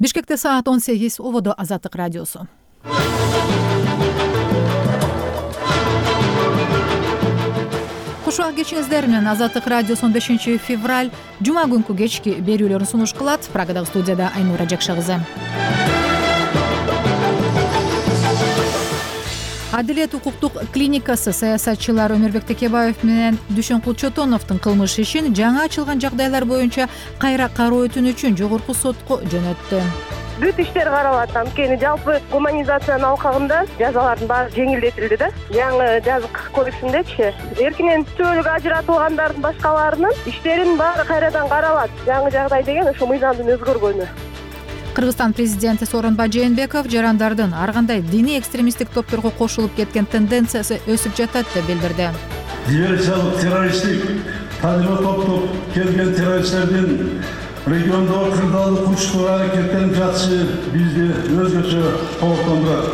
Бишкекте саат 18, ободо Азаттык радиосу. Кушуак кечиңиздер менен Азаттык радиосунун 5 февраль жума күнкү кечки берүүлөрүн сунуш кылат. Прагадагы студияда Айнура Жакша кызы. Адилет укуктук клиникасы саясатчылар Өмүрбек Текебаев менен Дүшөн Кулчотоновдун кылмыш ишин жаңа ачылган жагдайлар боюнча кайра кароо өтүнүчүн жогорку сотко жөнөттү. Бүт иштер каралат. Анткени жалпы гуманизациянын алкагында жазалардын баары жеңилдетилди да. Жаңы жаза кодексиндечи эркинен түбөлүк ажыратылгандардын башкаларынын иштеринин баары кайрадан каралат. Жаңы жагдай деген ошо мыйзамдын өзгөргөнү. Кыргызстан президенти Сооронбай Жээнбеков жарандардын ар кандай диний экстремисттик топторго кошулуп кеткен тенденциясы өсүп жатат деп билдирди. Диверсиялык террористтик тажрыйба топтоп келген террористтердин региондогу кырдаалдык кылмыштык аракеттерин жатышы бизди өзгөчө кооптондурат.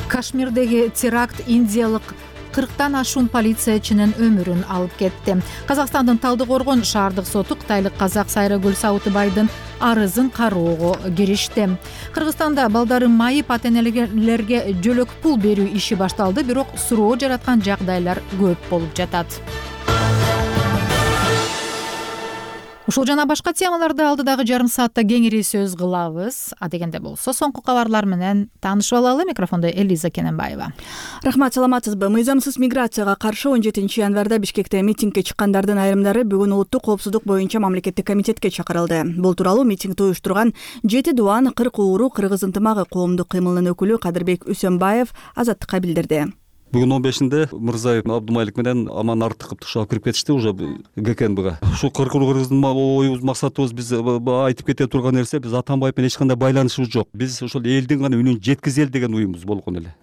Кашмирдеги теракт индиялык 40тан ашуун полициячынын өмүрүн алып кетти. Казакстандын Талдыкоргон шаардык соту кытайлык казак Сайрагүл Сауытбайдын арызын кароого киришти. Кыргызстанда балдарын майып ата-энелерге жөлөк пул берүү иши башталды, бирок суроо жараткан жагдайлар көп болуп жатат. Ушул жана башка темаларды алдыдагы жарым саатта кеңири сөз кылабыз. А дегенде болсо соңку кабарлар менен таанышып алалы. Микрофондо Элиза Кененбаева. Рахмат, саламатсызбы? Мыйзамсыз миграцияга каршы 17 январда Бишкекте митингге чыккандардын айрымдары бүгүн улуттук коопсуздук боюнча мамлекеттик комитетке чакырылды. Бул тууралуу митингди уюштурган 7 Дуан 40 ууру Кыргыз ынтымагы коомдук кыймылынын өкүлү Кадырбек Үсөнбаев Азаттыкка билдирди. Бүгүн 15-нде Мырзаев Абдумалик менен Аман Артыков тышап кирип кетишти уже ГКНБга. Ушул Кыргыздын оюбуз, максатыбыз биз айтып кете турган нерсе, биз Атамбаев менен эч кандай байланышыбыз жок. Биз ошол элдин гана үнүн жеткизели деген уюмубуз болгон эле.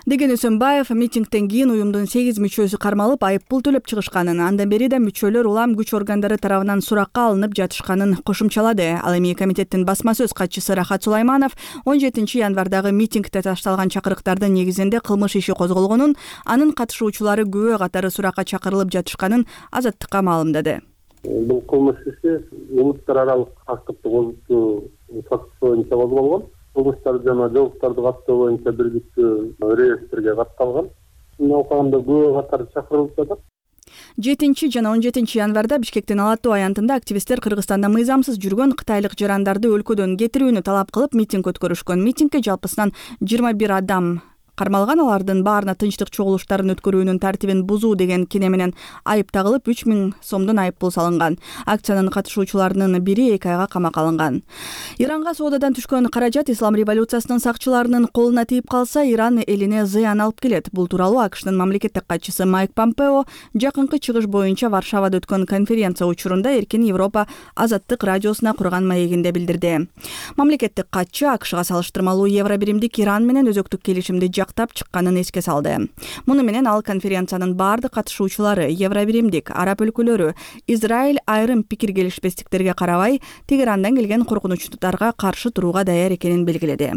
Деген Үсөнбаев митингден кийин уюмдун 8 мүчөсү кармалып, айыппул төлөп чыгышканын, андан бери да мүчөлөр улам күч органдары тарабынан суракка алынып жатышканын кошумчалады. Ал эми комитеттин басма сөз катчысы Рахат Сулайманов 17 январдагы митингде ташталган чакырыктардын негизинде кылмыш иши козголгонун, анын катышуучулары күбө катары суракка чакырылып жатышканын Азаттыкка маалымдады. Бул кылмыш иши улуттар аралык активдик козготуу фактысы боюнча козголгон. Кылмыштар жана жоолуктарды каттоо боюнча бирдиктүү реестрге катталган. Мына алкагында күбө катары чакырылып жатат. 7 жана 17 январда Бишкектин Алатуу аянтында активисттер Кыргызстанда мыйзамсыз жүргөн кытайлык жарандарды өлкөдөн кетирүүнү талап кылып митинг өткөрүшкөн. Митингге жалпысынан 21 адам кармалган, алардын баарына тынчтык чогулуштарын өткөрүүнүн тартибин бузуу деген кене менен айып тагылып 3000 сомдон айыппул салынган. Акциянын катышуучуларынын бири 2 айга камакка алынган. Иранга соодадан түшкөн каражат ислам революциясынын сакчыларынын колуна тийип калса, Иран элине зыян алып келет. Бул тууралуу АКШнын мамлекеттик катчысы Майк Помпео жакынкы чыгыш боюнча Варшавада өткөн конференция учурунда Эркин Европа Азаттык радиосуна курган маегинде билдирди. Мамлекеттик катчы АКШга салыштырмалуу евро биримдик Иран менен өзөктүк келишимди жактап чыкканын эске салды. Муну менен ал конференциянын бардык катышуучулары евро биримдик, араб өлкөлөрү, Израиль айрым пикир келишпестиктерге карабай Тегерандан келген коркунучтарга каршы турууга даяр экенин белгиледи.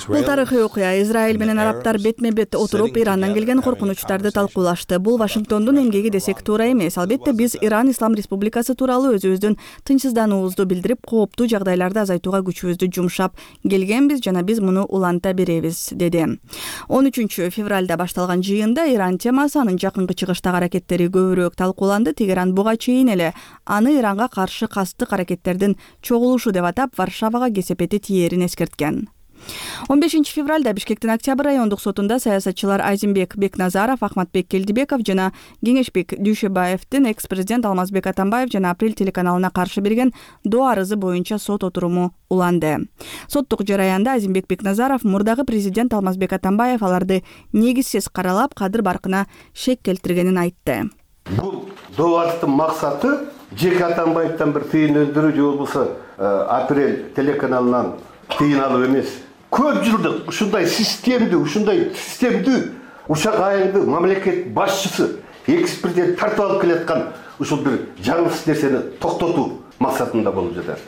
Бул тарыхый окуя. Израиль менен арабтар бетме-бет отуруп Ирандан келген коркунучтарды талкуулашты. Бул Вашингтондун эмгеги десек туура эмес. Албетте биз Иран Ислам Республикасы тууралуу өзүбүздүн тынчсыздануубузду билдирип, кооптуу жагдайларды азайтууга күчүбүздү жумшап келгенбиз жана биз муну уланта беребиз, деди. 13 февралда башталган жыйында Иран темасы, анын жакынкы чыгыштагы аракеттери көбүрөөк талкууланды. Тегеран буга чейин эле аны Иранга каршы кастык аракеттердин чогулушу деп атап, Варшавага кесепети тиерин эскерткен. 15 февралда Бишкектин Октябрь райондук сотунда саясатчылар Айзимбек Бекназаров, Ахматбек Келдибеков жана Кеңешбек Дүйшөбаевдин экс-президент Алмазбек Атамбаев жана Апрель телеканалына каршы берген доо арызы боюнча сот отуруму уланды. Соттук жараянда Айзимбек Бекназаров мурдагы президент Алмазбек Атамбаев аларды негизсиз каралап, кадыр баркына шек келтиргенин айтты. Бул доо арыздын максаты жеке Атамбаевден бир тыйын өндүрүү же болбосо Апрель телеканалынан тыйын алып эмес. Көп жылдык ушундай системдүү учак айылды мамлекет башчысы, экс-президент тартып алып келаткан ушул бир жаңсыз нерсени токтотуу максатында болуп жатат.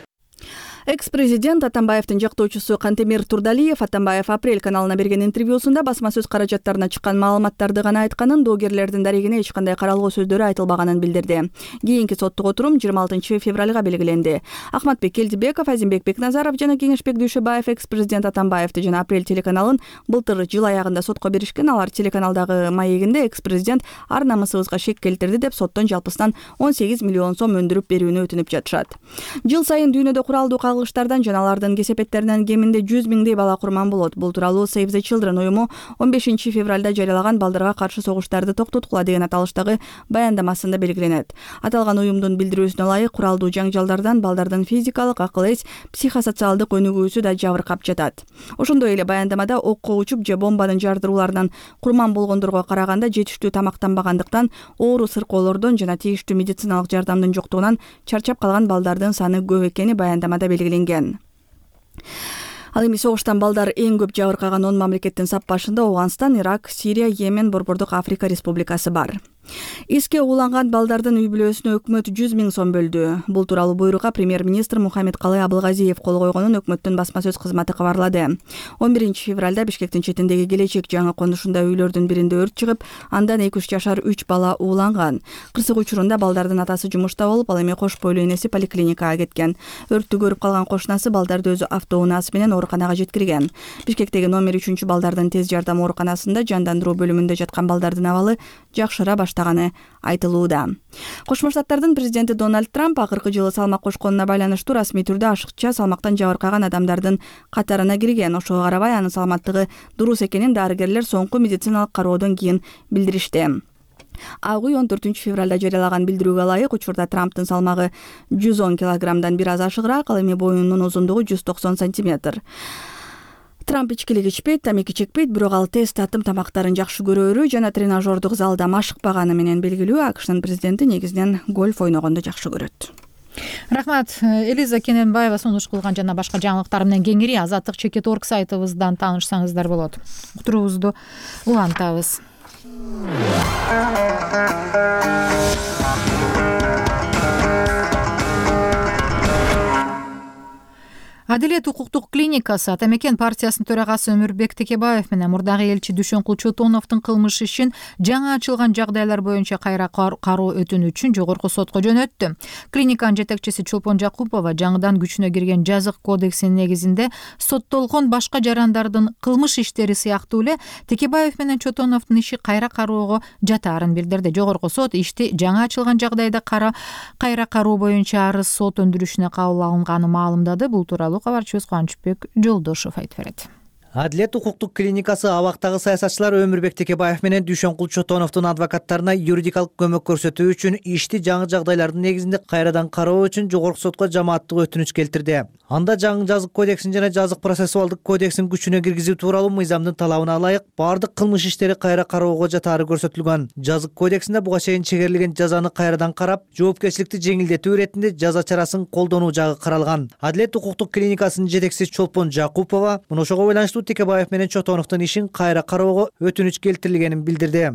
Экс-президент Атамбаевдин жактоочусу Кантемир Турдалиев Атамбаев Апрель каналына берген интервьюсунда басма сөз каражаттарына чыккан маалыматтарды гана айтканын, доогерлердин дарегине эч кандай каралгоо сөздөрү айтылбаганын билдирди. Кийинки соттук отурум 26 февралга белгиленди. Ахматбек Келдибеков, Азимбек Бекназаров жана Кеңешбек Дүйшөбаев экс-президент Атамбаевди жана Апрель телеканалын былтыр жыл аягында сотко беришкен. Алар телеканалдагы маегинде экс-президент ар намысыбызга шек келтирди деп соттон жалпысынан 18 миллион сом өндүрүп берүүнү өтүнүп жатышат. Жыл сайын дүйнөдө куралдуу кагылыштардан жана алардын кесепеттеринен кеминде 100 миңдей бала курман болот. Бул тууралуу Save the Children уюму 15 февралда жарыялаган балдарга каршы согуштарды токтоткула деген аталыштагы баяндамасында белгиленет. Аталган уюмдун билдирүүсүнө ылайык, куралдуу жаңжалдардан балдардын физикалык, акыл эс, психосоциалдык өнүгүүсү да жабыркап жатат. Ошондой эле баяндамада окко учуп же бомбанын жардырууларынан курман болгондорго караганда жетиштүү тамактанбагандыктан, оору сыркоолордон жана тийиштүү медициналык жардамдын жоктугунан чарчап калган балдардын саны көп экени баяндамада белгиленген. Ал эми согуштан балдар эң көп жабыркаган 10 мамлекеттин сап башында Афганистан, Ирак, Сирия, Йемен, Борбордук Африка Республикасы бар. Эске уланган балдардын үй бүлөсүнө өкмөт 100 миң сом бөлдү. Бул тууралуу буйрукка премьер-министр Мухаммедкалый Абылгазиев кол койгонун өкмөттүн басма сөз кызматы кабарлады. 11 февралда Бишкектин четиндеги Келечек жаңы конушунда үйлөрдүн биринде өрт чыгып, андан 2-3 жашар 3 бала ууланган. Кырсык учурунда балдардын атасы жумушта болуп, ал эми кош бойлуу энеси поликлиникага кеткен. Өрттү көрүп калган кошунасы балдарды өзү автоунаасы менен ооруканага жеткирген. Бишкектеги номер 3 балдардын тез жардам ооруканасында жандандыруу бөлүмүндө жаткан балдардын абалы жакшыра баштаганы айтылууда. Кошмо Штаттардын президенти Дональд Трамп акыркы жылы салмак кошконуна байланыштуу расмий түрдө ашыкча салмактан жабыркаган адамдардын катарына кирген. Ошого карабай анын саламаттыгы дурус экенин дарыгерлер соңку медициналык кароодон кийин билдиришти. Ак үй 14 февралда жарыялаган билдирүүгө ылайык, учурда Трамптын салмагы 110 килограммдан бир аз ашыгыраак, ал эми боюнун узундугу 190 сантиметр. Трамп ичкилик ичпейт, тамеки чекпейт, бирок ал тез татым тамактарын жакшы көрөөрү жана тренажердук залда машыкпаганы менен белгилүү. АКШнын президенти негизинен гольф ойногонду жакшы көрөт. Рахмат. Элиза Кененбаева сунуш кылган жана башка жаңылыктар менен кеңири Азаттык _org сайтыбыздан таанышсаңыздар болот. Уктуруубузду улантабыз. Адилет укуктук клиникасы Ата мекен партиясынын төрагасы Өмүрбек Текебаев менен мурдагы элчи Дүйшөнкул Чотоновдун кылмыш ишин жаңы ачылган жагдайлар боюнча кайра кароо өтүнүчүн жогорку сотко жөнөттү. Клиниканын жетекчиси Чолпон Жакупова жаңыдан күчүнө кирген жазык кодексинин негизинде соттолгон башка жарандардын кылмыш иштери сыяктуу эле Текебаев менен Чотоновдун иши кайра кароого жатаарын билдирди. Жогорку сот ишти жаңы ачылган жагдайда кайра кароо боюнча арыз сот өндүрүшүнө кабыл алынганы маалымдады. Бул тууралуу кабарчыбыз Кубанычбек Жолдошов айтып берет. Адилет укуктук клиникасы абактагы саясатчылар Өмүрбек Текебаев менен Дүйшөнкул Чотоновдун адвокаттарына юридикалык көмөк көрсөтүү үчүн ишти жаңы жагдайлардын негизинде кайрадан кароо үчүн жогорку сотко жамааттык өтүнүч келтирди. Анда жаңы жазык кодексин жана жазык процессуалдык кодексин күчүнө киргизүү тууралуу мыйзамдын талабына ылайык баардык кылмыш иштери кайра кароого жатаары көрсөтүлгөн. Жазык кодексинде буга чейин чегерилген жазаны кайрадан карап, жоопкерчиликти жеңилдетүү иретинде жаза чарасын колдонуу жагы каралган. Адилет укуктук клиникасынын жетекчиси Чолпон Жакупова мына ошого байланыштуу Текебаев менен Чотоновдун ишин кайра кароого өтүнүч келтирилгенин билдирди.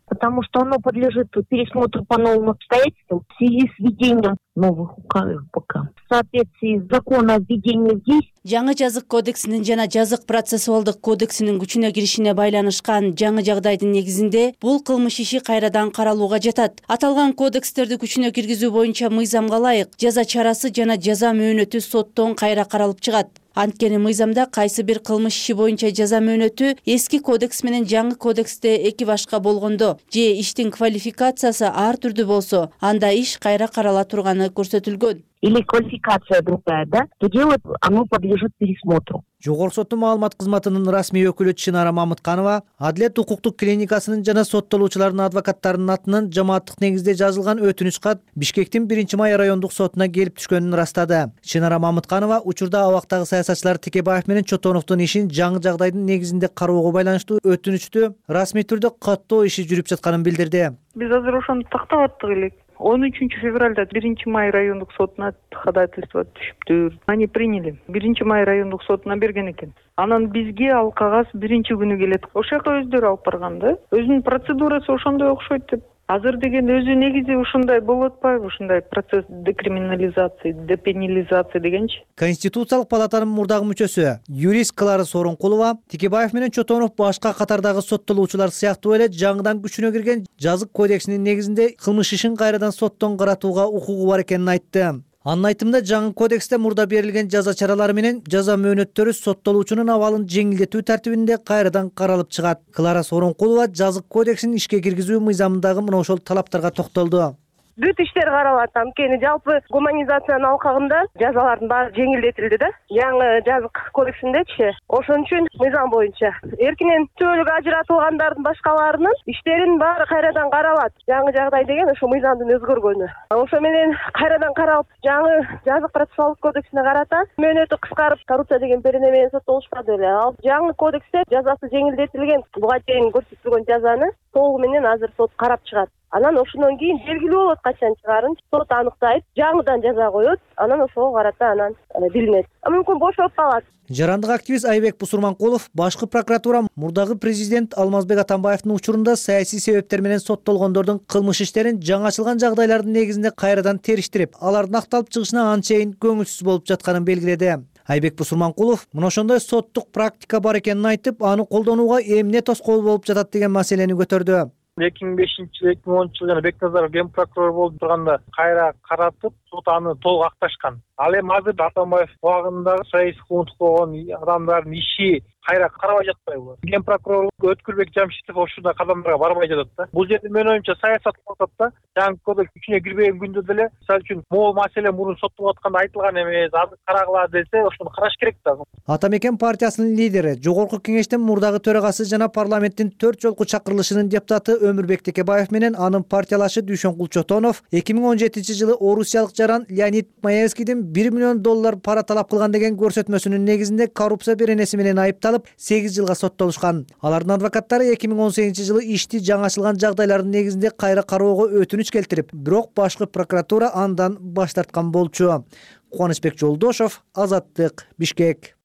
Потому что оно подлежит пересмотру по новым обстоятельствам в связи с введением новых указов ПК. В соответствии с законом о введении в действие. Жаңы жазык кодексинин жана жазык процессуалдык кодексинин күчүнө киришине байланышкан жаңы жагдайдын негизинде бул кылмыш иши кайрадан каралууга жатат. Аталган кодекстерди күчүнө киргизүү боюнча мыйзамга ылайык жаза чарасы жана жаза мөөнөтү соттон кайра каралып чыгат. Анткени мыйзамда кайсы бир кылмыш иши боюнча жаза мөөнөтү эски кодекс менен жаңы кодексте эки башка болгондо же иштин квалификациясы ар түрдүү болсо, анда иш кайра карала турганы көрсөтүлгөн. Или квалификация другая, да, то делать оно подлежит пересмотру. Жогорку соттун маалымат кызматынын расмий өкүлү Чынара Мамытканова Адилет укуктук клиникасынын жана соттолуучулардын адвокаттарынын атынан жамааттык негизде жазылган өтүнүч кат Бишкектин 1-Май райондук сотуна келип түшкөнүн ырастады. Чынара Мамытканова учурда абактагы саясатчылар Текебаев менен Чотоновдун ишин жаңы жагдайдын негизинде кароого байланыштуу өтүнүчтү расмий түрдө каттоо иши жүрүп жатканын билдирди. Биз азыр ошону тактап аттык элек. 13 февралда 1-Май райондук сотуна ходатайство түшүптүр. Они приняли. 1-Май райондук сотуна берген экен. Анан бизге ал кагаз 1-күнү келет. Ошол жака өздөрү алып барган да. Өзүнүн процедурасы ошондой окшойт деп. азыр деген өзү негизи ушундай болуп атпайбы, ушундай процесс декриминализация, депенилизация дегенчи. Конституциялык палатанын мурдагы мүчөсү юрист Клара Сооронкулова Текебаев менен Чотонов башка катардагы соттолуучулар сыяктуу эле жаңыдан күчүнө кирген жазык кодексинин негизинде кылмыш ишин кайрадан соттон каратууга укугу бар экенин айтты. Анын айтымында жаңы кодексте мурда берилген жаза чаралары менен жаза мөөнөттөрү соттолуучунун абалын жеңилдетүү тартибинде кайрадан каралып чыгат. Клара Сооронкулова жазык кодексин ишке киргизүү мыйзамындагы мына ошол талаптарга токтолду. Бүт иштер каралат. Анткени жалпы гуманизациянын алкагында жазалардын баары жеңилдетилди да. Жаңы жазык кодексиндечи. Ошон үчүн мыйзам боюнча эркинен төлөк ажыратылгандардын башкаларынын иштеринин баары кайрадан каралат. Жаңы жагдай деген ошо мыйзамдын өзгөргөнү. Ошо менен кайрадан каралып, жаңы жазык процессуалдык кодексине карата мөөнөтү кыскарып, коррупция деген берене менен соттолушпады эле. Ал жаңы кодексте жазасы жеңилдетилген, буга чейин көрсөтүлгөн жазаны толугу менен азыр сот карап чыгат. Анан ошондон кийин белгилүү болот качан чыгарын сот аныктайт, жаңыдан жаза коет, анан ошого карата анан билинет. Мүмкүн бошоп калат. Жарандык активист Айбек Бусурманкулов башкы прокуратура мурдагы президент Алмазбек Атамбаевдин учурунда саясий себептер менен соттолгондордун кылмыш иштерин жаңы ачылган жагдайлардын негизинде кайрадан териштирип, алардын акталып чыгышына анчейин көңүлсүз болуп жатканын белгиледи. Айбек Бусурманкулов мына ошондой соттук практика бар экенин айтып, аны колдонууга эмне тоскоол болуп жатат деген маселени көтөрдү. 2005-жылы 2010-жылы жана Бекназаров ген прокурор болуп турганда кайра каратып, сот аны толук акташкан. Ал эми азыр Атамбаев убагындагы саясий куугунтук болгон адамдардын иши кайра карабай жатпайбы? Ген прокурор Өткүлбек Жамшитов ошондой кадамдарга барбай жатат да. Бул жерде менин оюмча саясат кылып атат да. Жаңы кодекс күчүнө кирбеген күндө деле, мисалы үчүн, могул маселе мурун соттолуп атканда айтылган эмес, азыр карагыла десе, ошону караш керек да. Атамекен партиясынын лидери, Жогорку Кеңештин мурдагы төрагасы жана парламенттин 4 жолку чакырылышынын депутаты Өмүрбек Текебаев менен анын партиялашы Дүйшөнкул Чотонов 2017-жылы орусиялык жаран Леонид Маевскийдин $1 миллион пара талап кылган деген көрсөтмөсүнүн негизинде коррупция беренеси менен айыпталып 8 жылга соттолушкан. Алардын адвокаттары 2018-жылы ишти жаңы ачылган жагдайлардын негизинде кайра кароого өтүнүч келтирип, бирок башкы прокуратура андан баш тарткан болчу. Кубанычбек Жолдошов, Азаттык, Бишкек.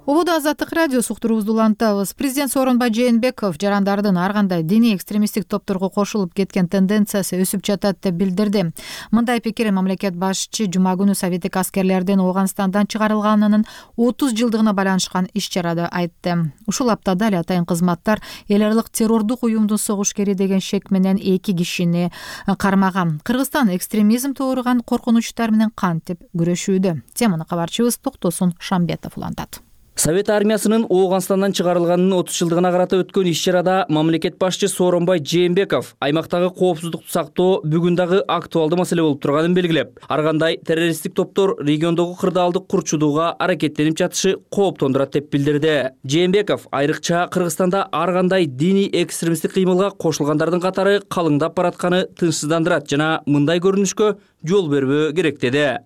Убуда Азаттык радиосу уктуруубузду улантабыз. Президент Сооронбай Жээнбеков жарандардын ар кандай диний экстремисттик топторго кошулуп кеткен тенденциясы өсүп жатат деп билдирди. Мындай пикирин мамлекет башчы жума күнү советтик аскерлердин Ооганстандан чыгарылганынын 30 жылдыгына байланышкан иш-чарада айтты. Ушул аптада эле атайын кызматтар эл аралык террордук уюмдун согушкери деген шек менен 2 кишини кармаган. Кыргызстан экстремизм тууруган коркунучтар менен кантип күрөшүүдө? Теманы кабарчыбыз Токтосун Шамбетов улантат. Совет армиясынын Ооганстандан чыгарылганынын 30 жылдыгына карата өткөн иш-чарада мамлекет башчы Сооронбай Жээнбеков аймактагы коопсуздукту сактоо бүгүн дагы актуалдуу маселе болуп турганын белгилеп, ар кандай террористтик топтор региондогу кырдаалды курчудууга аракеттенип жатышы кооптондурат деп билдирди. Жээнбеков айрыкча Кыргызстанда ар кандай диний экстремисттик кыймылга кошулгандардын катары калыңдап баратканы тынчсыздандырат жана мындай көрүнүшкө жол бербөө керек деди.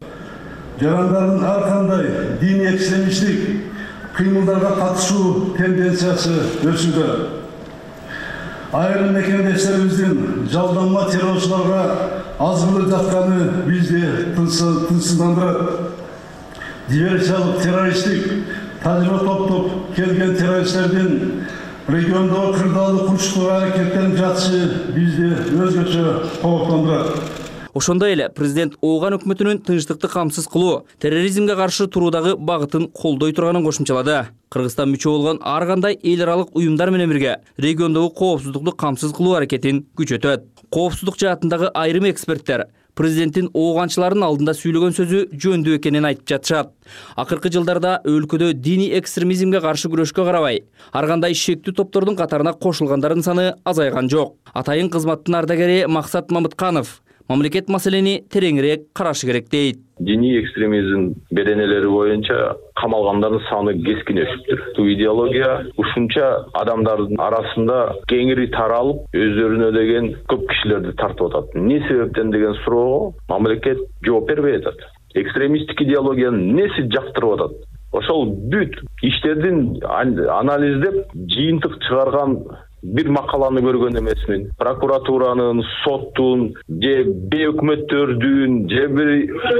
Жарандардын ар кандай диний экстремисттик кыймылдарга катышуу тенденциясы өсүүдө. Айрым мекендештерибиздин жалданма террорчуларга азгырылып жатканы бизди тынчсыздандырат. Диверсиялык террористтик тажрыйба топтоп келген террористтердин региондогу кырдаалды курчутууга аракеттенип жатышы бизди өзгөчө кооптондурат. Ошондой эле президент Ооган өкмөтүнүн тынчтыкты камсыз кылуу, терроризмге каршы туруудагы багытын колдой турганын кошумчалады. Кыргызстан мүчө болгон ар кандай эл аралык уюмдар менен бирге региондогу коопсуздукту камсыз кылуу аракетин күчөтөт. Коопсуздук жаатындагы айрым эксперттер президенттин ооганчылардын алдында сүйлөгөн сөзү жөндүү экенин айтып жатышат. Акыркы жылдарда өлкөдө диний экстремизмге каршы күрөшкө карабай, ар кандай шектүү топтордун катарына кошулгандардын саны азайган жок. Атайын кызматтын ардагери Максат Мамытканов мамлекет маселени тереңирээк карашы керек дейт. Диний экстремизм беренелери боюнча камалгандардын саны кескин өсүптүр. Бул идеология ушунча адамдардын арасында кеңири таралып, өздөрүнө деген көп кишилерди тартып атат. Эмне себептен деген суроого мамлекет жооп бербей атат. Экстремисттик идеологиянын неси жактырып атат? Ошол бүт иштердин анализдеп, жыйынтык чыгарган бир макаланы көргөн эмесмин. Прокуратуранын, соттун же бейөкмөттөрдүн же бир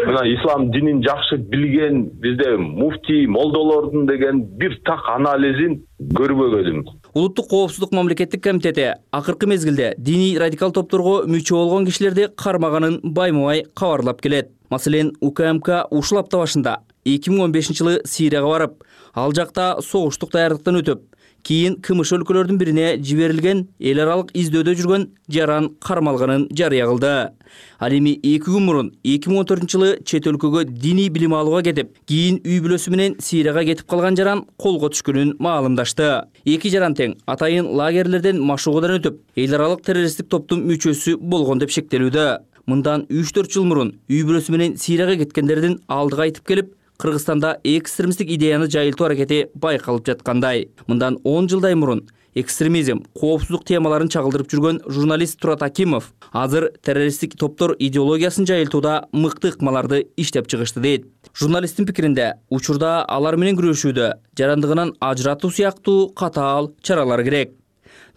мына ислам динин жакшы билген бизде муфтий, молдолордун деген бир так анализин көрбөгөнүм. Улуттук коопсуздук мамлекеттик комитети акыркы мезгилде диний радикал топторго мүчө болгон кишилерди кармаганын байма-бай кабарлап келет. Маселен, УКМК ушул апта башында 2015-жылы Сирияга барып, ал жакта согуштук даярдыктан өтүп, кийин КМШ өлкөлөрдүн бирине жиберилген эл аралык издөөдө жүргөн жаран кармалганын жарыя кылды. Ал эми 2 күн мурун 2014-жылы чет өлкөгө диний билим алууга кетип, кийин үй бүлөсү менен Сирияга кетип калган жаран колго түшкөнүн маалымдашты. Эки жаран тең атайын лагерлерден машыгуудан өтүп, эл аралык террористтик топтун мүчөсү болгон деп шектелүүдө. Мындан 3-4 жыл мурун үй бүлөсү менен Сирияга кеткендердин алдыга айтып келип, Кыргызстанда экстремисттик идеяны жайылтуу аракети байкалып жаткандай. Мындан 10 жылдай мурун экстремизм, коопсуздук темаларын чагылдырып жүргөн журналист Турат Акимов азыр террористтик топтор идеологиясын жайылтууда мыкты ыкмаларды иштеп чыгышты дейт. Журналисттин пикиринде, учурда алар менен күрөшүүдө жарандыгынан ажыратуу сыяктуу катаал чаралар керек.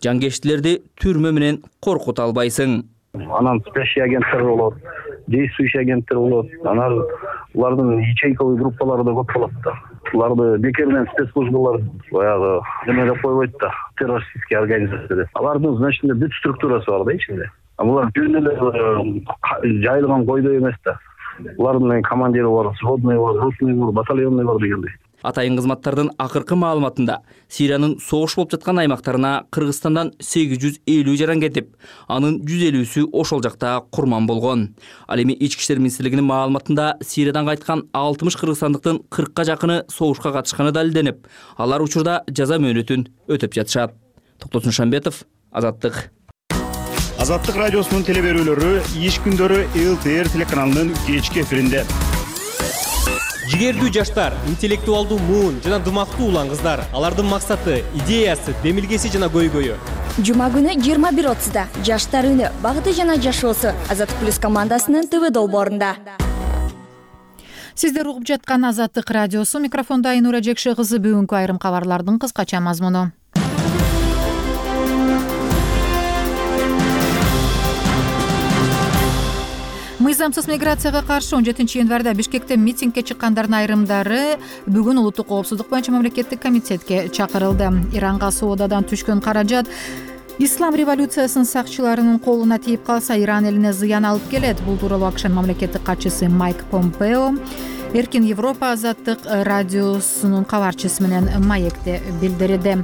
Жангештилерди түрмө менен коркута албайсың. Анан спящий агенттер болот, действующий агенттер болот. Анан улардын ячейковый группалары да көп болот да. Уларды бекерден спецслужбалар баягы эме деп койбойт да, террористический организация деп. Алардын значит бүт структурасы бар да ичинде. А булар жөн эле жайылган койдой эмес да. Улардын командири бар, сводный бар, ротный бар, батальонный бар дегендей. Атайын кызматтардын акыркы маалыматында Сириянын согуш болуп жаткан аймактарына Кыргызстандан 850 жаран кетип, анын 150-сү ошол жакта курман болгон. Ал эми Ички иштер министрлигинин маалыматында Сириядан кайткан 60 кыргызстандыктын 40ка жакыны согушка катышканы далилденип, алар учурда жаза мөөнөтүн өтөп жатышат. Токтосун Шамбетов, Азаттык. Азаттык радиосунун телеберүүлөрү иш күндөрү ЛТР телеканалынын кечки эфиринде. Жигердүү жаштар, интеллектуалдуу муун жана дымактуу улан кыздар. Алардын максаты, идеясы, демилгеси жана көйгөйү. Жума күнү 21:30-да Жаштар үнү, багыты жана жашоосу Азаттык плюс командасынын ТВ долбоорунда. Сиздер угуп жаткан Азаттык радиосу, микрофондо Айнура Жекше кызы. Бүгүнкү айрым кабарлардын кыскача мазмуну. Мыйзамсыз миграцияга каршы 17 январда Бишкекте митингге чыккандардын айрымдары бүгүн улуттук коопсуздук боюнча мамлекеттик комитетке чакырылды. Иранга соодадан түшкөн каражат ислам революциясынын сакчыларынын колуна тийип калса, Иран элине зыян алып келет. Бул тууралуу АКШнын мамлекеттик катчысы Майк Помпео Эркин Европа Азаттык радиосунун кабарчысы менен маекте билдирди.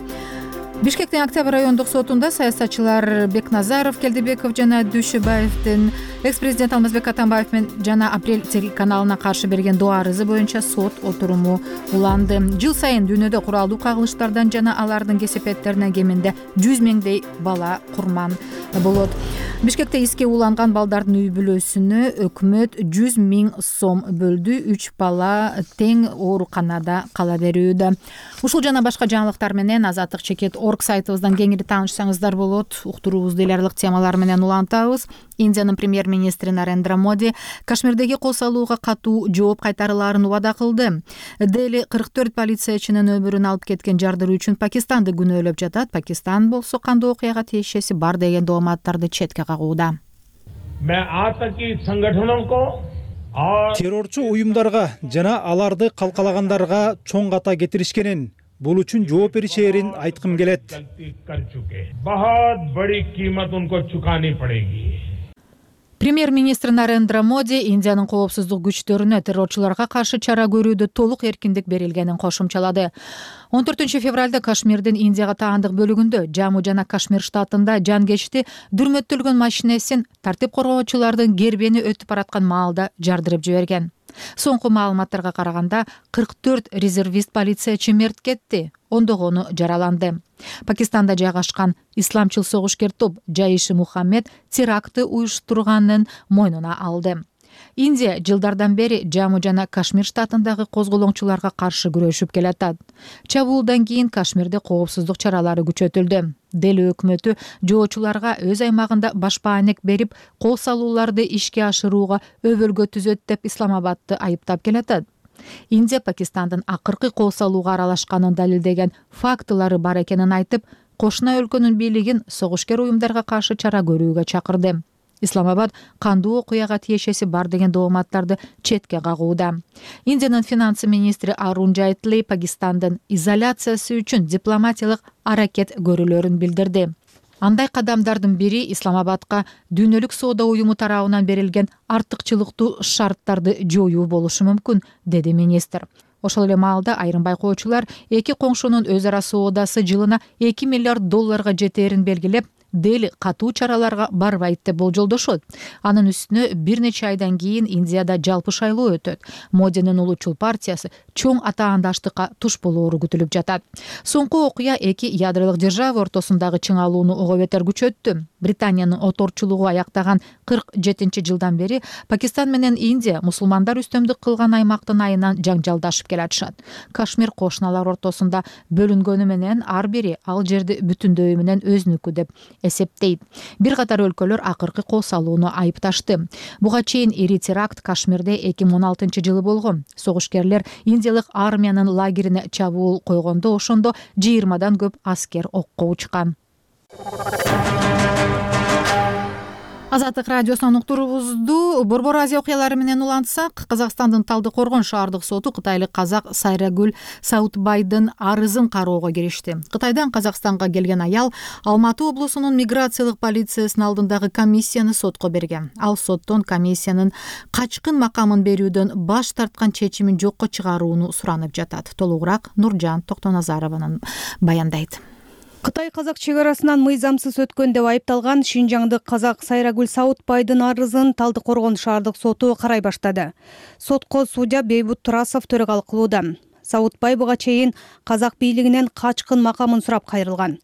Бишкектин Октябрь райондук сотунда саясатчылар Бекназаров, Келдебеков жана Дүйшөбаевдин экс-президент Алмазбек Атамбаев жана Апрель телеканалына каршы берген доо арызы боюнча сот отуруму уланды. Жыл сайын дүйнөдө куралдуу кагылыштардан жана алардын кесепеттеринен кеминде 100 миңдей бала курман болот. Бишкекте иске уланган балдардын үй бүлөсүнө өкмөт 100 миң сом бөлдү. 3 бала тең ооруканада кала берүүдө. Ушул жана башка жаңылыктар менен Азаттык чекет орг сайтыбыздан кеңири таанышсаңыздар болот. Уктуруубузду эл аралык темалар менен улантабыз. Индиянын премьер-министри Нарендра Моди Кашмирдеги кол салууга катуу жооп кайтарылаарын убада кылды. Дели 44 полициячынын өмүрүн алып кеткен жардыруу үчүн Пакистанды күнөөлөп жатат. Пакистан болсо кандуу окуяга тиешеси бар деген дооматтарды четке кагууда. Террорчу уюмдарга жана аларды калкалагандарга чоң ката кетиришкенин, бул үчүн жооп беришээрин айткым келет. Премьер-министр Нарендра Моди Индиянын коопсуздук күчтөрүнө террорчуларга каршы чара көрүүдө толук эркиндик берилгенин кошумчалады. 14 февралда Кашмирдин Индияга таандык бөлүгүндө Жаму жана Кашмир штатында жан кечти дүрмөттөлгөн машинесин тартип коргоочулардын гербени өтүп бараткан маалда жардырып жиберген. Соңку маалыматтарга караганда 44 резервист полициячы мерт кетти, ондогону жараланды. Пакистанда жайгашкан исламчыл согушкер топ Жайши Мухаммед терактты уюштурганын мойнуна алды. Индия жылдардан бери Жаму жана Кашмир штатындагы козголоңчуларга каршы күрөшүп келатат. Чабуулдан кийин Кашмирде коопсуздук чаралары күчөтүлдү. Дели өкмөтү жоочуларга өз аймагында башпаанек берип, кол салууларды ишке ашырууга өбөлгө түзөт деп Исламабадты айыптап келатат. Индия Пакистандын акыркы кол салууга аралашканын далилдеген фактылары бар экенин айтып, кошуна өлкөнүн бийлигин согушкер уюмдарга каршы чара көрүүгө чакырды. Исламабад кандуу окуяга тиешеси бар деген дооматтарды четке кагууда. Индиянын финансы министри Арун Джайтли Пакистандын изоляциясы үчүн дипломатиялык аракет көрүүлөрүн билдирди. Андай кадамдардын бири Исламабадка дүйнөлүк соода уюму тарабынан берилген артыкчылыктуу шарттарды жоюу болушу мүмкүн, деди министр. Ошол эле маалда айрым байкоочулар эки коңшунун өз ара соодасы жылына $2 миллиард жетээрин белгилеп, Дели катуу чараларга барбайт деп болжолдошот. Анын үстүнө бир нече айдан кийин Индияда жалпы шайлоо өтөт. Модинин улутчул партиясы чоң атаандаштыкка туш болоору күтүлүп жатат. Соңку окуя эки ядролук держава ортосундагы чыңалууну ого бетер күчөттү. Британиянын оторчулугу аяктаган 47-жылдан бери Пакистан менен Индия мусулмандар үстөмдүк кылган аймактын айынан жаңжалдашып келатышат. Кашмир кошуналар ортосунда бөлүнгөнү менен ар бири ал жерди бүтүндөйү менен өзүнүкү деп эсептейт. Бир катар өлкөлөр акыркы кол салууну айыпташты. Буга чейин ири теракт Кашмирде 2016-жылы болгон. Согушкерлер индиялык армиянын лагерине чабуул койгондо ошондо 20-дан көп аскер окко учкан. Азаттык радиосунун уктуруубузду Борбор Азия окуялары менен улантсак, Казакстандын Талдыкоргон шаардык соту кытайлык казак Сайрагүл Саутбайдын арызын кароого киришти. Кытайдан Казакстанга келген аял Алматы облусунун миграциялык полициясынын алдындагы комиссияны сотко берген. Ал соттон комиссиянын качкын макамын берүүдөн баш тарткан чечимин жокко чыгарууну суранып жатат. Толугураак Нуржан Токтоназарованын баяндайт. Кытай-казак чек арасынан мыйзамсыз өткөн деп айыпталган Шинжаңдык казак Сайрагүл Саутбайдын арызын Талдыкоргон шаардык соту карай баштады. Сотко судья Бейбут Турасов төрагалык кылууда. Саутбай буга чейин казак бийлигинен качкын макамын сурап кайрылган.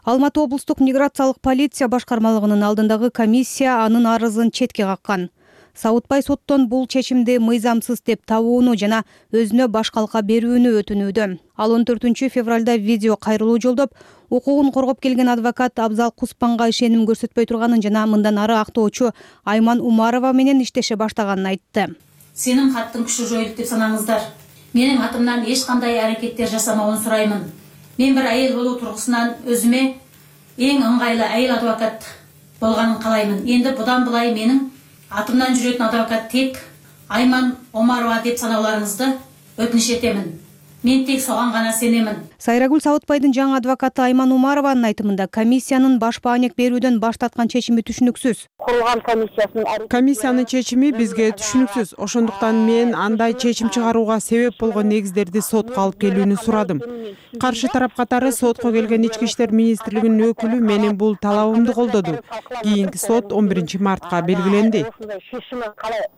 Алматы облустук миграциялык полиция башкармалыгынын алдындагы комиссия анын арызын четке каккан. Саутбай соттон бул чечимди мыйзамсыз деп табууну жана өзүнө баш калка берүүнү өтүнүүдө. Ал 14 февралда видео кайрылуу жолдоп, укугун коргоп келген адвокат Абзал Куспанга ишеним көрсөтпөй турганын жана мындан ары актоочу Айман Умарова менен иштеше баштаганын айтты. Сенин каттын күчү жоюлуп деп санаңыздар. Менин атымдан эч кандай аракеттер жасамауын сураймын. Мен бир айыл болуу тургусунан өзүмө эң ыңгайлуу айыл адвокат болгонун каалаймын. Энди будан булай менин атымдан жүрөтүн адвокат тек Айман Омарова деп санауларыңызды өтүнүш этемин. Мен тек соган гана сенемин. Сайрагүл Саутбайдын жаңы адвокаты Айман Умарованын айтымында комиссиянын баш баанек берүүдөн баш тарткан чечими түшүнүксүз. Курулган комиссиянын чечими бизге түшүнүксүз. Ошондуктан мен андай чечим чыгарууга себеп болгон негиздерди сотко алып келүүнү сурадым. Каршы тарап катары сотко келген Ички иштер министрлигинин өкүлү менин бул талабымды колдоду. Кийинки сот 11 мартка белгиленди.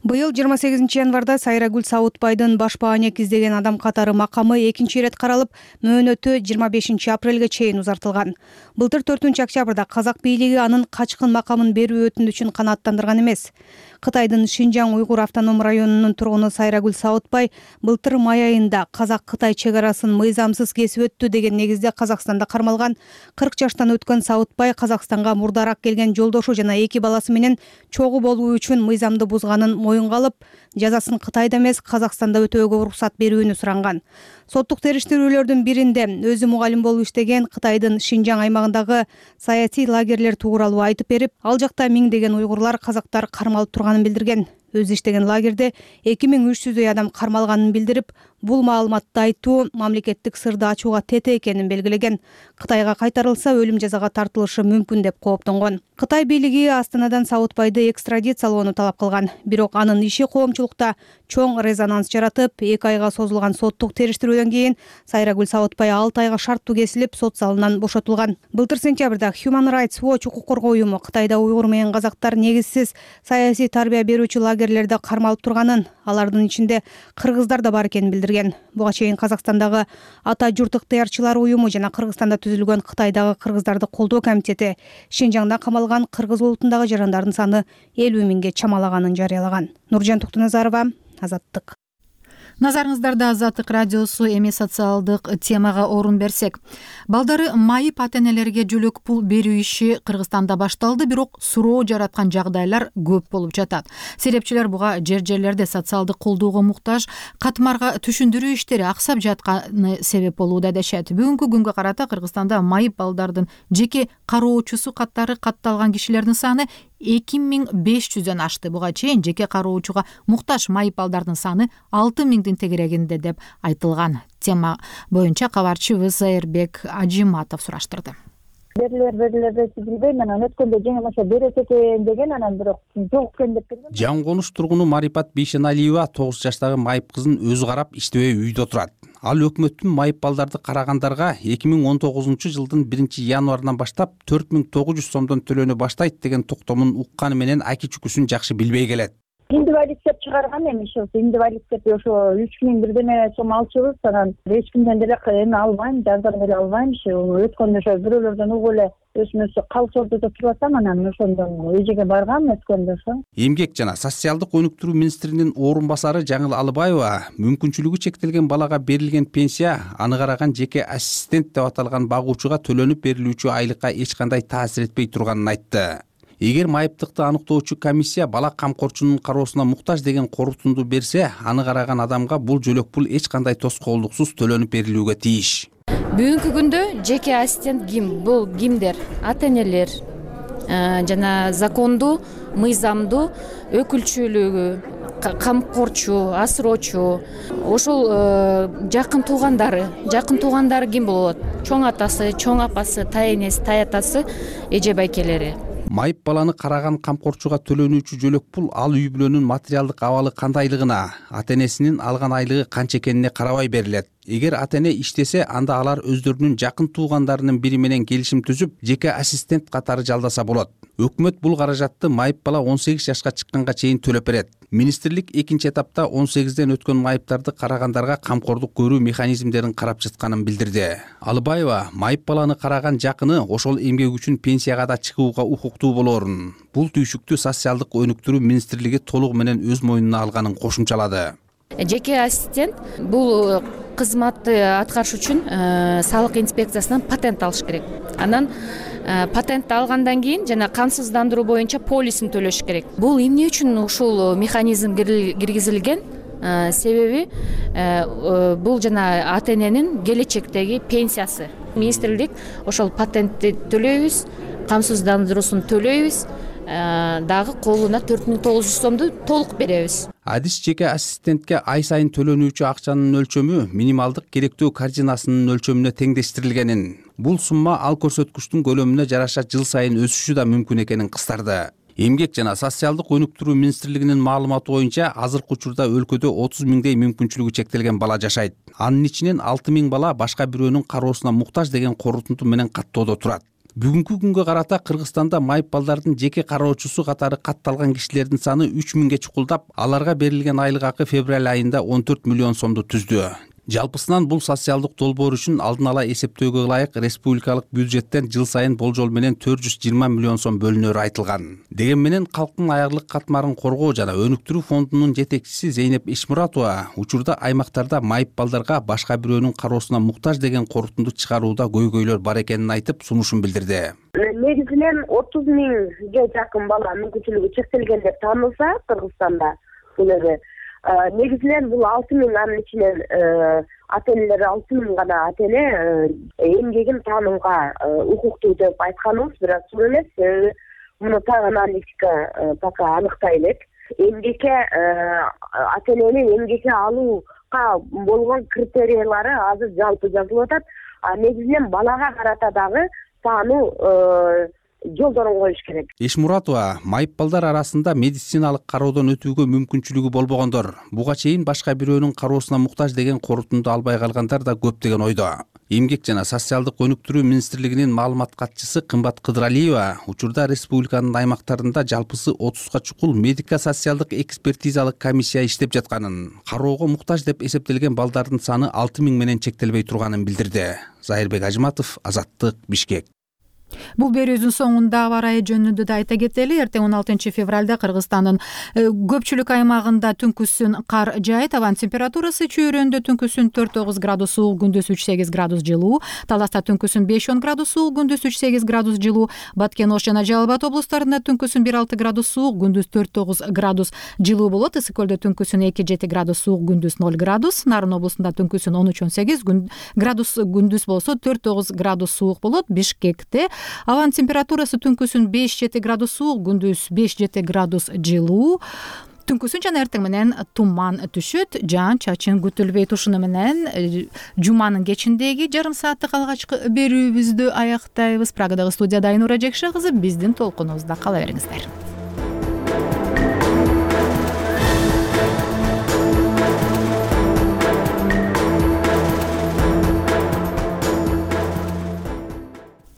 Быйыл 28 январда Сайрагүл Саутбайдын баш баанек издеген адам катары макамы экинчи ирет каралып, мөөнөтү 25 апрелге чейин узартылган. Былтыр 4 октябрда казак бийлиги анын качкын макамын берүү өтүнүчүн канааттандырган эмес. Кытайдын Шинжаң уйгур автоном районунун тургуну Сайрагүл Саутбай былтыр май айында казак-кытай чек арасын мыйзамсыз кесип өттү деген негизде Казакстанда кармалган. 40 жаштан өткөн Саутбай Казакстанга мурдараак келген жолдошу жана 2 баласы менен чогуу болуу үчүн мыйзамды бузганын моюнга алып, жазасын Кытайда эмес Казакстанда өтөөгө уруксат берүүнү суранган. Соттук териштирүүлөрдүн биринде өзү мугалим болуп иштеген Кытайдын Шинжаң аймагындагы саясий лагерлер тууралуу айтып берип, ал жакта миңдеген уйгурлар, казактар кармалып турганын билдирген. Өзү иштеген лагерде 2300 адам кармалганын билдирип, бул маалыматты айтуу мамлекеттик сырды ачууга тете экенин белгилеген. Кытайга кайтарылса өлүм жазага тартылышы мүмкүн деп кооптонгон. Кытай бийлиги Астанадан Саутбайды экстрадициялоону талап кылган. Бирок анын иши коомчулукта чоң резонанс жаратып, 2 айга созулган соттук териштирүүдөн кийин Сайрагүл Саутбай 6 айга шарттуу кесилип, сот залынан бошотулган. Былтыр сентябрда Human Rights Watch укук коргоо уюму Кытайда уйгур менен казактар негизсиз саясий тарбия берүүчү лагерлерде кармалып турганын, алардын ичинде кыргыздар да бар экенин билдирген. Буга чейин Казакстандагы ата журт ыктыярчылар уюму жана Кыргызстанда түзүлгөн Кытайдагы кыргыздарды колдоо комитети Шинжаңда камалган кыргыз улутундагы жарандардын саны 50 миңге чамалаганын жарыялаган. Нуржан Токтоназарова, Азаттык. Назарыңыздарда Азаттык радиосу, эми социалдык темага орун берсек. Балдары майып ата-энелерге жөлөк пул берүү иши Кыргызстанда башталды, бирок суроо жараткан жагдайлар көп болуп жатат. Серепчилер буга жерлерде социалдык колдоого муктаж катмарга түшүндүрүү иштери аксап жатканы себеп болууда дешет. Бүгүнкү күнгө карата Кыргызстанда майып балдардын жеке кароочусу каттары катталган кишилердин саны 2500дөн ашты. Буга чейин жеке кароочуга муктаж майып балдардын саны 6000 тегерегинде деп айтылган. Тема боюнча кабарчыбыз Зайырбек Ажиматов сураштырды. Берилер билбейм, анан өткөндө жеңилмесе берет экен деген, анан бирок жок экен деп берген. Жаңы Конуш тургуну Марипат Бейшеналиева 9 жаштагы майып кызын өзү карап иштебей үйдө турат. Ал өкмөттүн майып балдарды карагандарга 2019 жылдын 1-январынан баштап 4900 сомдон төлөнө баштайт деген токтомун укканы менен аки чүкүсүн жакшы билбей келет. Индивалид деп чыгарган эми индивалид деп ошо 3000 бирдеме сом алчубуз, анан эч кимден деле эми албайм, жардам деле албайм. Өткөндө ошо бирөөлөрдөн угуп эле өзүмө калыс ордодо туруп атам, анан ошондон эжеге баргам өткөндө ошо. Эмгек жана социалдык өнүктүрүү министринин орун басары Жаңыл Алыбаева мүмкүнчүлүгү чектелген балага берилген пенсия аны караган жеке ассистент деп аталган багуучуга төлөнүп берилүүчү айлыкка эч кандай таасир этпей турганын айтты. Эгер майыптыкты аныктоочу комиссия бала камкорчунун кароосуна муктаж деген корутунду берсе, аны караган адамга бул жөлөк пул эч кандай тоскоолдуксуз төлөнүп берилүүгө тийиш. Бүгүнкү күндө жеке ассистент ким? Бул кимдер? Ата-энелер жана закондуу, мыйзамдуу өкүлчүлүгү, камкорчу, асыроочу, ошол жакын туугандары ким болот? Чоң атасы, чоң апасы, тайэнеси, таятасы, эже байкелери. Майып баланы караган камкорчуга төлөнүүчү жөлөк пул ал үй бүлөнүн материалдык абалы кандайлыгына, ата-энесинин алган айлыгы канча экенине карабай берилет. Эгер ата-эне иштесе, анда алар өздөрүнүн жакын туугандарынын бири менен келишим түзүп, жеке ассистент катары жалдаса болот. Өкмөт бул каражатты майып бала 18 жашка чыкканга чейин төлөп берет. Министрлик экинчи этапта 18ден өткөн майыптарды карагандарга камкордук көрүү механизмдерин карап жатканын билдирди. Алыбаева майып баланы караган жакыны ошол эмгек үчүн пенсияга да чыгууга укуктуу болоорун, бул түйшүктү социалдык өнүктүрүү министрлиги толугу менен өз мойнуна алганын кошумчалады. Жеке ассистент бул кызматты аткарыш үчүн салык инспекциясынан патент алыш керек. Анан патентти алгандан кийин жана камсыздандыруу боюнча полисин төлөш керек. Бул эмне үчүн ушул механизм киргизилген? Себеби бул жана ата-эненин келечектеги пенсиясы. Министрлик ошол патентти төлөйбүз, камсыздандыруусун төлөйбүз, дагы колуна 4900 сомду толук беребиз. Адис жеке ассистентке ай сайын төлөнүүчү акчанын өлчөмү минималдык керектөө корзинасынын өлчөмүнө теңдештирилгенин, бул сумма ал көрсөткүчтүн көлөмүнө жараша жыл сайын өсүшү да мүмкүн экенин кыстарды. Эмгек жана социалдык өнүктүрүү министрлигинин маалыматы боюнча азыркы учурда өлкөдө 30 миңдей мүмкүнчүлүгү чектелген бала жашайт. Анын ичинен 6000 бала башка бирөөнүн кароосуна муктаж деген корутунду менен каттоодо турат. Бүгүнкү күнгө карата Кыргызстанда майып балдардын жеке кароочусу катары катталган кишилердин саны 3000ге чукулдап, аларга берилген айлык акы февраль айында 14 миллион сомду түздү. Жалпысынан бул социалдык долбоор үчүн алдын ала эсептөөгө ылайык республикалык бюджеттен жыл сайын болжол менен 420 миллион сом бөлүнөрү айтылган. Деген менен калктын аярлык катмарын коргоо жана өнүктүрүү фондунун жетекчиси Зейнеп Ишмуратова учурда аймактарда майып балдарга башка бирөөнүн кароосуна муктаж деген корутунду чыгарууда көйгөйлөр бар экенин айтып, сунушун билдирди. Негизинен 30 миңге жакын бала мүмкүнчүлүгү чектелген деп таанылса Кыргызстанда, негизинен бул 6000, анын ичинен ата-энелер 6000 гана ата-эне эмгегин таанууга укуктуу деп айтканыбыз, бирок чын эмес. Муну так аналитика пока аныктай элек. Эмгекке ата-эненин эмгекке алууга болгон критерийлары азыр жалпы жазылып атат. Негизинен балага карата дагы таануу жолдорун коюш керек. Ишмуратова майып балдар арасында медициналык кароодон өтүүгө мүмкүнчүлүгү болбогондор, буга чейин башка бирөөнүн кароосуна муктаж деген корутунду албай калгандар да көп деген ойдо. Эмгек жана социалдык өнүктүрүү министрлигинин маалымат катчысы Кымбат Кыдыралиева учурда республиканын аймактарында жалпысы 30га чукул медико-социалдык экспертизалык комиссия иштеп жатканын, кароого муктаж деп эсептелген балдардын саны 6000 менен чектелбей турганын билдирди. Зайырбек Ажиматов, Азаттык, Бишкек. Бул берүүбүздүн соңунда аба ырайы жөнүндө да айта кетели. Эртең 16 февралда Кыргызстандын көпчүлүк аймагында түнкүсүн кар жаайт. Абанын температурасы чүйрөндө түнкүсүн 4-9 градус суук, күндүз 3-8 градус жылуу. Таласта түнкүсүн 5-10 градус суук, күндүз 3-8 градус жылуу. Баткен, Ош жана Жалал Абад облустарында түнкүсүн 1-6 градус суук, күндүз 4-9 градус жылуу болот. Ысык көлдө түнкүсүн 2-7 градус суук, күндүз 0 градус. Нарын облусунда түнкүсүн 13-18 градус, күндүз болсо 4-9 градус суук болот. Бишкекте абанын температурасы түнкүсүн 5-7 градус суук, күндүз 5-7 градус жылуу. Түнкүсүн жана эртең менен туман түшөт, жаан чачын күтүлбөйт. Ушуну менен жуманын кечиндеги жарым сааттык алгачкы берүүбүздү аяктайбыз. Прагадагы студияда Айнура Жекше кызы, биздин толкунубузда кала бериңиздер.